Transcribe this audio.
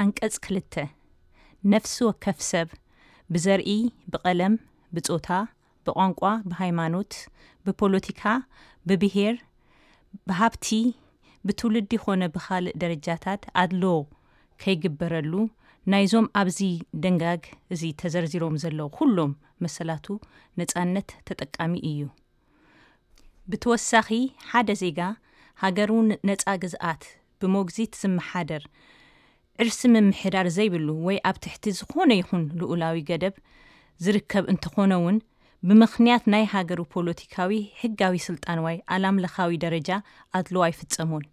ኣንቀጽ ክልተ፣ ነፍሲ ወከፍ ሰብ ብዘርኢ፣ ብቐለም፣ ብጾታ፣ ብቋንቋ፣ ብሃይማኖት፣ ብፖለቲካ፣ ብብሄር፣ ብሃብቲ፣ ብትውልዲ ኾነ ብኻልእ ደረጃታት ኣድሎ ከይግበረሉ፣ ናይዞም ኣብዚ ደንጋግ እዚ ተዘርዚሮም ዘለዉ ኩሎም መሰላቱ ነጻነት ተጠቃሚ እዩ። ብተወሳኺ፣ ሓደ ዜጋ ሃገሩ ነጻ ግዝኣት ብሞግዚት ዝመሓደር፣ ዕርሲ ምምሕዳር ዘይብሉ ወይ ኣብ ትሕቲ ዝኾነ ይኹን ልኡላዊ ገደብ ዝርከብ እንተኾነ እውን፣ ብምኽንያት ናይ ሃገሩ ፖለቲካዊ ሕጋዊ ስልጣን ወይ ዓላምለኻዊ ደረጃ ኣድሎ ኣይፍጸሞን።